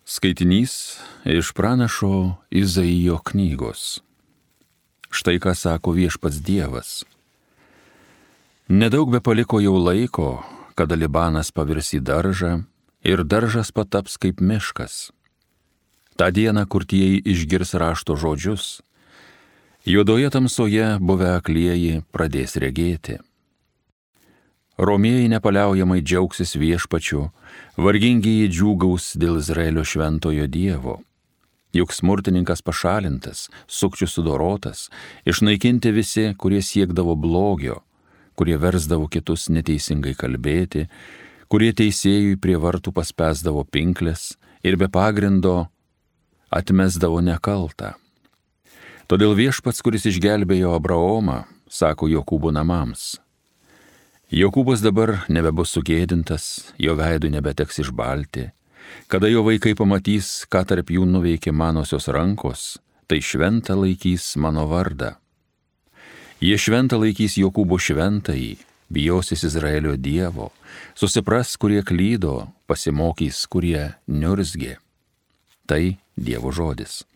Skaitinys iš pranašo Izaijo knygos. Štai ką sako viešpats Dievas. Nedaug be paliko jau laiko, kada Libanas pavirs į daržą ir daržas pataps kaip miškas. Ta diena kurtieji išgirs rašto žodžius, juodoje tamsoje buvę aklieji pradės regėti. Romieji nepaliaujamai džiaugsis viešpačiu, vargingieji džiūgaus dėl Izraelio šventojo Dievo. Juk smurtininkas pašalintas, sukčius sudorotas, išnaikinti visi, kurie siekdavo blogio, kurie versdavo kitus neteisingai kalbėti, kurie teisėjui prie vartų paspęsdavo pinkles ir be pagrindo atmesdavo nekaltą. Todėl viešpats, kuris išgelbėjo Abraomą, sako Jokūbo namams: Jokūbas dabar nebebus sugėdintas, jo veidui nebeteks išbalti. Kada jo vaikai pamatys, ką tarp jų nuveikė manosios rankos, tai šventą laikys mano vardą. Jie šventą laikys Jokūbo šventąjį, bijosis Izraelio Dievo, susipras, kurie klydo, pasimokys, kurie niurzgė. Tai Dievo žodis.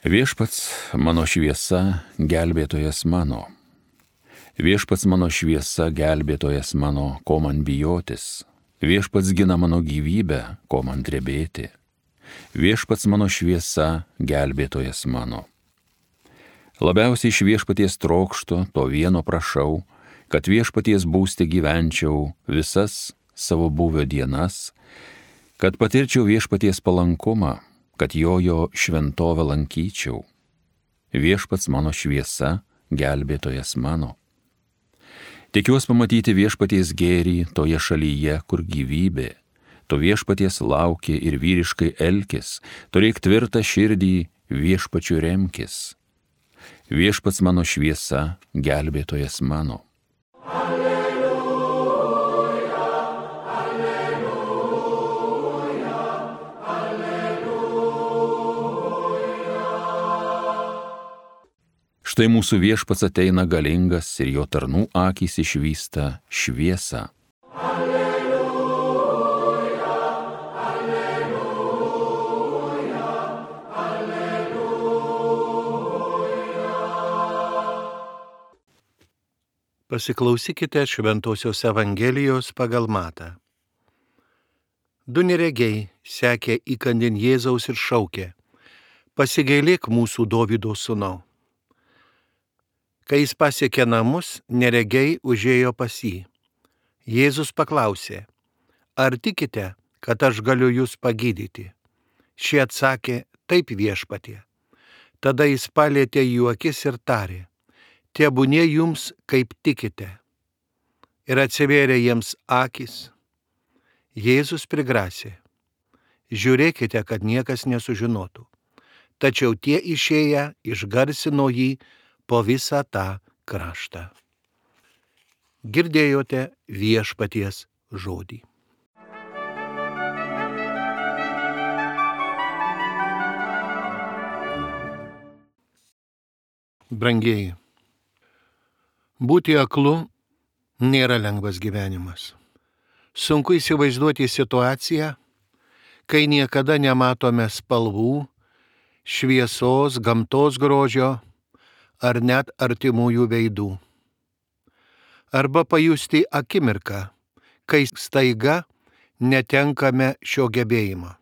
Viešpats mano šviesa, gelbėtojas mano. Viešpats mano šviesa, gelbėtojas mano, ko man bijotis. Viešpats gina mano gyvybę, ko man drebėti. Viešpats mano šviesa, gelbėtojas mano. Labiausiai iš viešpaties trokštu, to vieno prašau, kad viešpaties būste gyvenčiau visas savo buvio dienas, kad patirčiau viešpaties palankumą, kad jo šventovę lankyčiau. Viešpats mano šviesa, gelbėtojas mano. Tikiuos pamatyti viešpaties gėrį toje šalyje, kur gyvybė. To viešpaties lauki ir vyriškai elkis, turėk tvirtą širdį, viešpačiu remkis. Viešpats mano šviesa, gelbėtojas mano. Štai mūsų viešpats ateina galingas ir jo tarnų akys išvysta šviesą. Alleluja, alleluja, alleluja. Pasiklausykite Šventosios Evangelijos pagal Matą. Du neregiai sekė įkandin Jėzaus ir šaukė: Pasigailėk mūsų Dovydo sūnau. Kai jis pasiekė namus, neregiai užėjo pas jį. Jėzus paklausė: Ar tikite, kad aš galiu jūs pagydyti? Šie atsakė: Taip, viešpatie. Tada jis palietė jų akis ir tarė: Tebūnie jums, kaip tikite. Ir atsivėrė jiems akys. Jėzus prigrasė: Žiūrėkite, kad niekas nesužinotų. Tačiau tie išėję išgarsino jį po visą tą kraštą. Girdėjote viešpaties žodį. Brangieji, būti aklu nėra lengvas gyvenimas. Sunku įsivaizduoti situaciją, kai niekada nematome spalvų, šviesos, gamtos grožio ar net artimųjų veidų. Arba pajusti akimirką, kai staiga netenkame šio gebėjimo.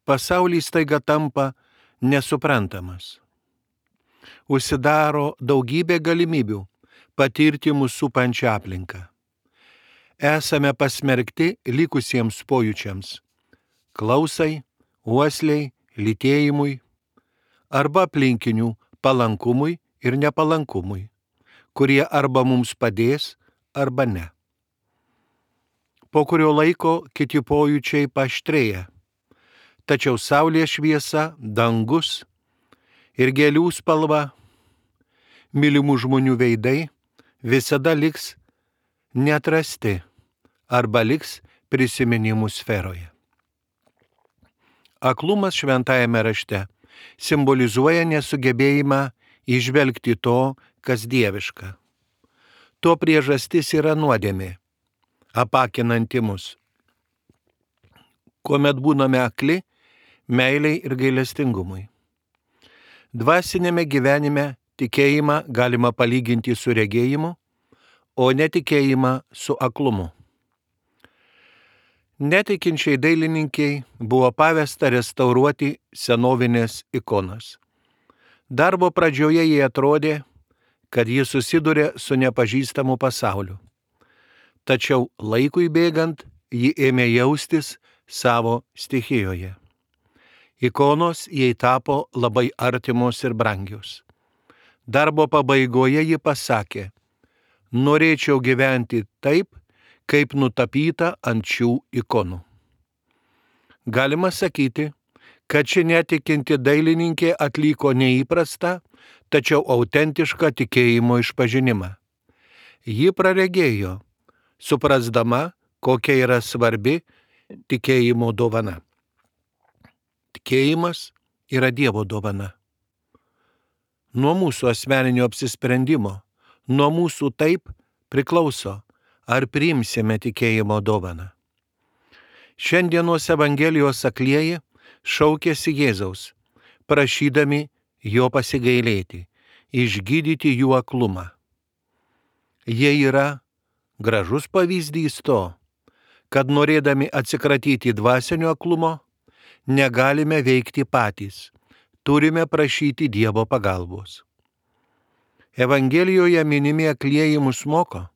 Pasaulis staiga tampa nesuprantamas. Užsidaro daugybė galimybių patirti mūsų supančią aplinką. Esame pasmerkti likusiems pojūčiams – klausai, uosliai, lytėjimui, arba aplinkinių palankumui ir nepalankumui, kurie arba mums padės, arba ne. Po kurio laiko kiti pojūčiai paaštrėja, tačiau saulės šviesa, dangus ir gėlių spalva, mylimų žmonių veidai visada liks neatrasti arba liks prisiminimų sferoje. Aklumas šventajame rašte simbolizuoja nesugebėjimą įžvelgti to, kas dieviška. To priežastis yra nuodėmė, apakinanti mus. Kuomet būname akli, meiliai ir gailestingumui. Dvasinėme gyvenime tikėjimą galima palyginti su regėjimu, o netikėjimą su aklumu. Netikinčiai dailininkiai buvo pavesta restauruoti senovinės ikonas. Darbo pradžioje jie atrodė, kad jis susiduria su nepažįstamu pasauliu. Tačiau laikui bėgant ji ėmė jaustis savo stichijoje. Ikonos jai tapo labai artimos ir brangios. Darbo pabaigoje ji pasakė: norėčiau gyventi taip, kaip nutapyta ant šių ikonų. Galima sakyti, kad ši netikinti dailininkė atliko neįprastą, tačiau autentišką tikėjimo išpažinimą. Ji praregėjo, suprasdama, kokia yra svarbi tikėjimo dovana. Tikėjimas yra Dievo dovana. Nuo mūsų asmeninio apsisprendimo, nuo mūsų taip priklauso, ar priimsime tikėjimo dovaną. Šiandienos Evangelijos aklieji šaukėsi Jėzaus, prašydami jo pasigailėti, išgydyti jų aklumą. Jie yra gražus pavyzdys to, kad norėdami atsikratyti dvasinio aklumo, negalime veikti patys, turime prašyti Dievo pagalbos. Evangelijoje minimi aklieji mus moko,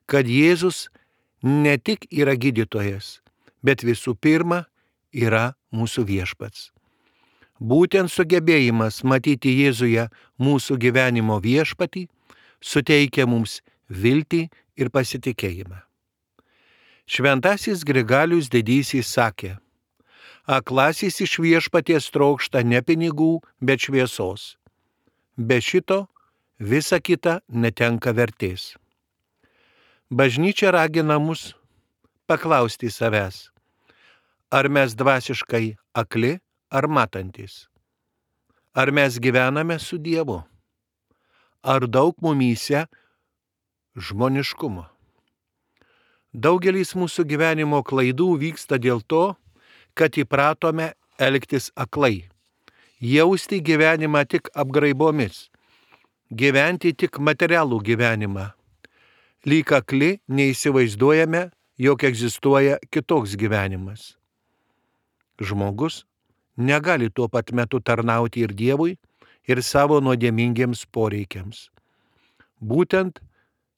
kad Jėzus ne tik yra gydytojas, bet visų pirma yra mūsų viešpats. Būtent sugebėjimas matyti Jėzuje mūsų gyvenimo viešpatį suteikia mums viltį ir pasitikėjimą. Šventasis Grigalius Didysis sakė: aklasis iš viešpaties trokšta ne pinigų, bet šviesos. Be šito visa kita netenka vertės. Bažnyčia ragina mus paklausti savęs, ar mes dvasiškai akli ar matantis? Ar mes gyvename su Dievu? Ar daug mumyse žmoniškumo? Daugelis mūsų gyvenimo klaidų vyksta dėl to, kad įpratome elgtis aklai, jausti gyvenimą tik apgraibomis, gyventi tik materialų gyvenimą. Lyg akli neįsivaizduojame, jog egzistuoja kitoks gyvenimas. Žmogus negali tuo pat metu tarnauti ir Dievui, ir savo nuodėmingiems poreikiams. Būtent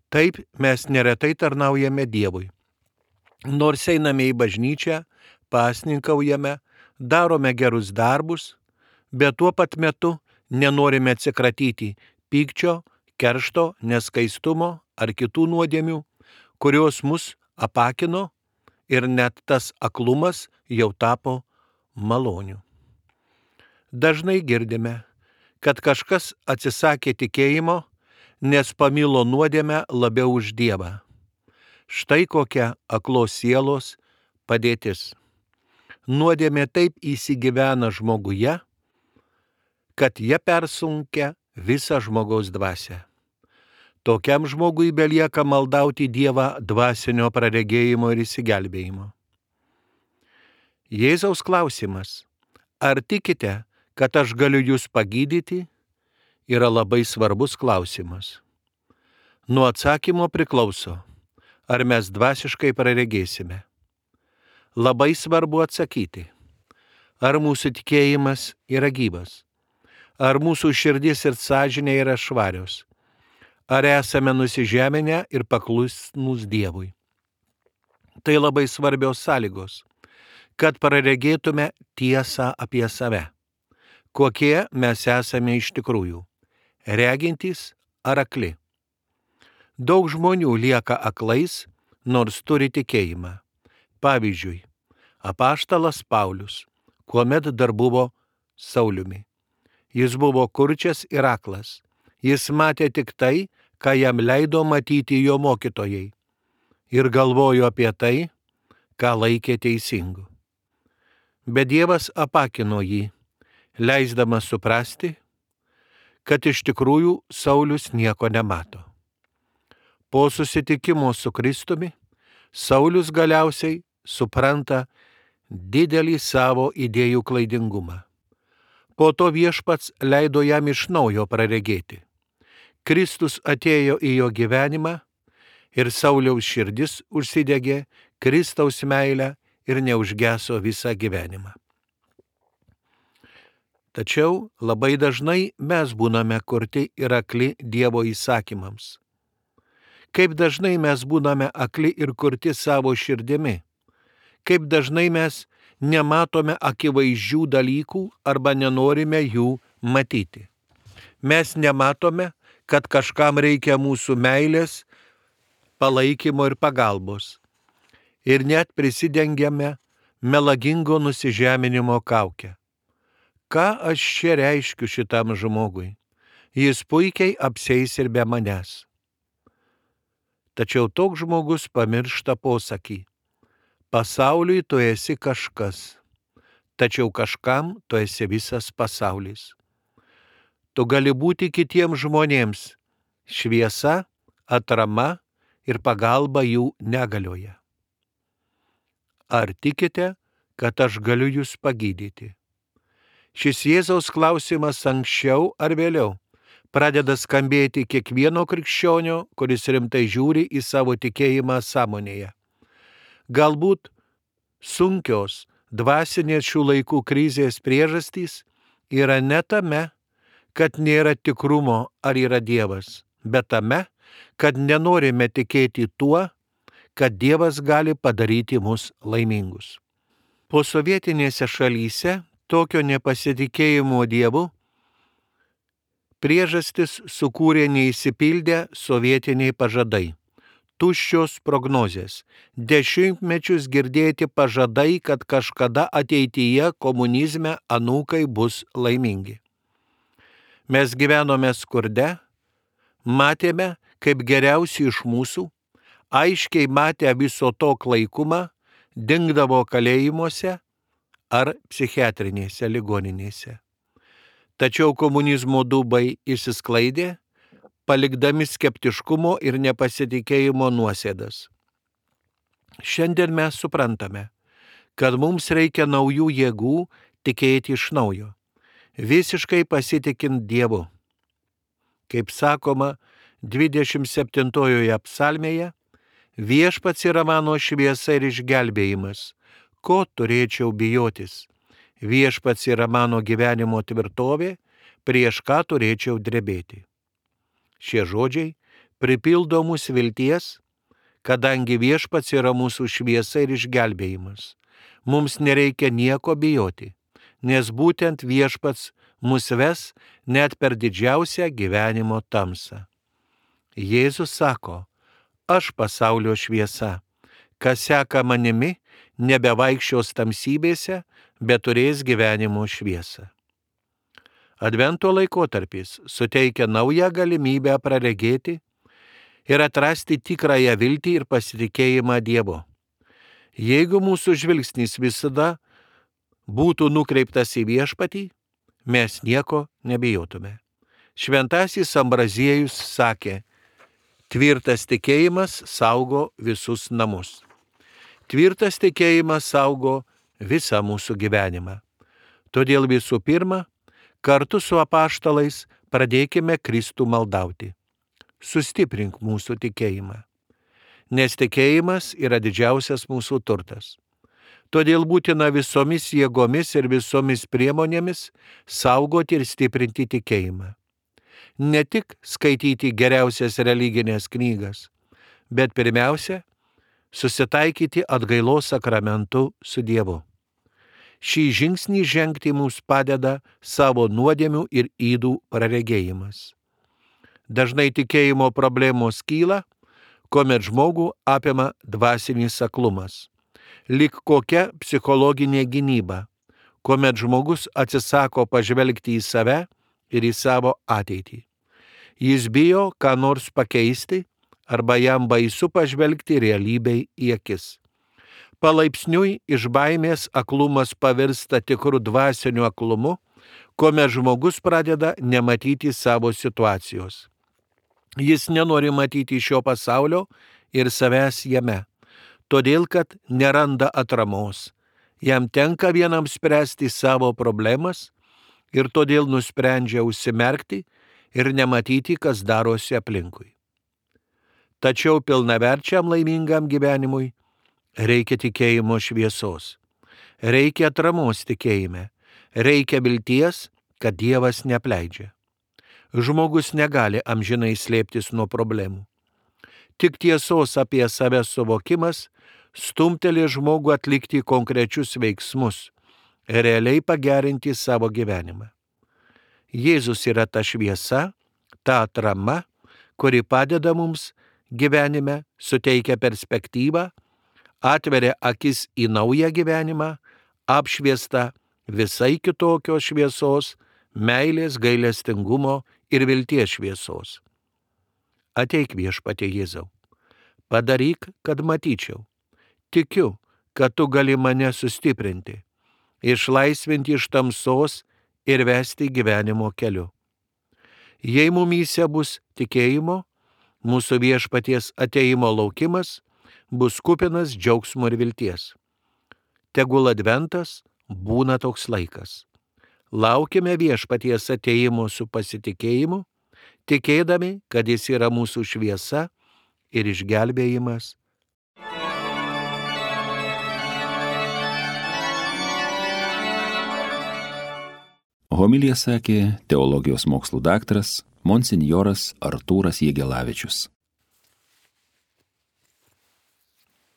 taip mes neretai tarnaujame Dievui. Nors einame į bažnyčią, pasninkaujame, darome gerus darbus, bet tuo pat metu nenorime atsikratyti pykčio, keršto, neskaistumo ar kitų nuodėmių, kurios mus apakino, ir net tas aklumas jau tapo maloniu. Dažnai girdime, kad kažkas atsisakė tikėjimo, nes pamilo nuodėmę labiau už Dievą. Štai kokia aklos sielos padėtis. Nuodėmė taip įsigyvena žmoguje, kad jie persunkia visą žmogaus dvasią. Tokiam žmogui belieka maldauti Dievą dvasinio praregėjimo ir išsigelbėjimo. Jėzaus klausimas: ar tikite, kad aš galiu jūs pagydyti, yra labai svarbus klausimas. Nuo atsakymo priklauso, ar mes dvasiškai praregėsime. Labai svarbu atsakyti, ar mūsų tikėjimas yra gyvas, ar mūsų širdis ir sąžinė yra švarios, ar esame nusižeminę ir paklusnūs Dievui. Tai labai svarbios sąlygos, kad praregėtume tiesą apie save, kokie mes esame iš tikrųjų, regintys ar akli. Daug žmonių lieka aklais, nors turi tikėjimą. Pavyzdžiui, apaštalas Paulius, kuomet dar buvo Sauliumi. Jis buvo kurčias ir aklas. Jis matė tik tai, ką jam leido matyti jo mokytojai, ir galvojo apie tai, ką laikė teisingu. Bet Dievas apakino jį, leisdamas suprasti, kad iš tikrųjų Saulius nieko nemato. Po susitikimo su Kristumi, Saulius galiausiai supranta didelį savo idėjų klaidingumą. Po to Viešpats leido jam iš naujo praregėti. Kristus atėjo į jo gyvenimą ir Sauliaus širdis užsidegė Kristaus meilę ir neužgeso visą gyvenimą. Tačiau labai dažnai mes būname kurti ir akli Dievo įsakymams. Kaip dažnai mes būname akli ir kurti savo širdimi. Kaip dažnai mes nematome akivaizdžių dalykų arba nenorime jų matyti. Mes nematome, kad kažkam reikia mūsų meilės, palaikymo ir pagalbos. Ir net prisidengiame melagingo nusižeminimo kaukę. Ką aš čia reiškiu šitam žmogui? Jis puikiai apsieis ir be manęs. Tačiau toks žmogus pamiršta posakį. Pasauliui tu esi kažkas, tačiau kažkam tu esi visas pasaulis. Tu gali būti kitiems žmonėms šviesa, atrama ir pagalba jų negalioje. Ar tikite, kad aš galiu jūs pagydyti? Šis Jėzaus klausimas anksčiau ar vėliau pradeda skambėti kiekvieno krikščionio, kuris rimtai žiūri į savo tikėjimą sąmonėje. Galbūt sunkios dvasinės šių laikų krizės priežastys yra ne tame, kad nėra tikrumo ar yra Dievas, bet tame, kad nenorime tikėti tuo, kad Dievas gali padaryti mus laimingus. Posovietinėse šalyse tokio nepasitikėjimo Dievu priežastis sukūrė neįsipildę sovietiniai pažadai. Tuščios prognozės, dešimtmečius girdėti pažadai, kad kažkada ateityje komunizme anūkai bus laimingi. Mes gyvenome skurde, matėme, kaip geriausi iš mūsų, aiškiai matę viso to klaikumą, dingdavo kalėjimuose ar psichiatrinėse ligoninėse. Tačiau komunizmo dūbai išsisklaidė, palikdami skeptiškumo ir nepasitikėjimo nuosėdas. Šiandien mes suprantame, kad mums reikia naujų jėgų tikėti iš naujo, visiškai pasitikint Dievu. Kaip sakoma 27 psalmėje, Viešpats yra mano šviesa ir išgelbėjimas, ko turėčiau bijotis. Viešpats yra mano gyvenimo tvirtovė, prieš ką turėčiau drebėti. Šie žodžiai pripildo mūsų vilties, kadangi Viešpats yra mūsų šviesa ir išgelbėjimas. Mums nereikia nieko bijoti, nes būtent Viešpats mus ves net per didžiausią gyvenimo tamsą. Jėzus sako, aš pasaulio šviesa, kas seka manimi, nebevaikščios tamsybėse, bet turės gyvenimo šviesą. Advento laikotarpis suteikia naują galimybę praregėti ir atrasti tikrąją viltį ir pasitikėjimą Dievu. Jeigu mūsų žvilgsnis visada būtų nukreiptas į Viešpatį, mes nieko nebijotume. Šventasis Ambraziejus sakė, tvirtas tikėjimas saugo visus namus. Tvirtas tikėjimas saugo visą mūsų gyvenimą. Todėl visų pirma, kartu su apaštalais pradėkime Kristų maldauti. Sustiprink mūsų tikėjimą. Nes tikėjimas yra didžiausias mūsų turtas. Todėl būtina visomis jėgomis ir visomis priemonėmis saugoti ir stiprinti tikėjimą. Ne tik skaityti geriausias religinės knygas, bet pirmiausia, susitaikyti atgailos sakramentu su Dievu. Šį žingsnį žengti mums padeda savo nuodėmių ir ydų praregėjimas. Dažnai tikėjimo problemos kyla, kuomet žmogų apima dvasinis aklumas. Lyg kokia psichologinė gynyba, kuomet žmogus atsisako pažvelgti į save ir į savo ateitį. Jis bijo ką nors pakeisti arba jam baisu pažvelgti realybei į akis. Palaipsniui iš baimės aklumas pavirsta tikru dvasiniu aklumu, kuomet žmogus pradeda nematyti savo situacijos. Jis nenori matyti šio pasaulio ir savęs jame, todėl kad neranda atramos. Jam tenka vienam spręsti savo problemas ir todėl nusprendžia užsimerkti ir nematyti, kas darosi aplinkui. Tačiau pilnaverčiam laimingam gyvenimui reikia tikėjimo šviesos, reikia atramos tikėjime, reikia vilties, kad Dievas neapleidžia. Žmogus negali amžinai slėptis nuo problemų. Tik tiesos apie save suvokimas stumteli žmogų atlikti konkrečius veiksmus, realiai pagerinti savo gyvenimą. Jėzus yra ta šviesa, ta atrama, kuri padeda mums gyvenime, suteikia perspektyvą, atveria akis į naują gyvenimą, apšviestą visai kitokios šviesos, meilės, gailestingumo ir vilties šviesos. Ateik Viešpatie Jėzau, padaryk, kad matyčiau. Tikiu, kad tu gali mane sustiprinti, išlaisvinti iš tamsos ir vesti gyvenimo keliu. Jei mumyse bus tikėjimo, mūsų Viešpaties ateimo laukimas bus kupinas džiaugsmo ir vilties. Tegul adventas būna toks laikas. Laukime Viešpaties ateimo su pasitikėjimu, tikėdami, kad jis yra mūsų šviesa ir išgelbėjimas. Homiliją sakė teologijos mokslų daktaras monsinjoras Artūras Jegelavičius.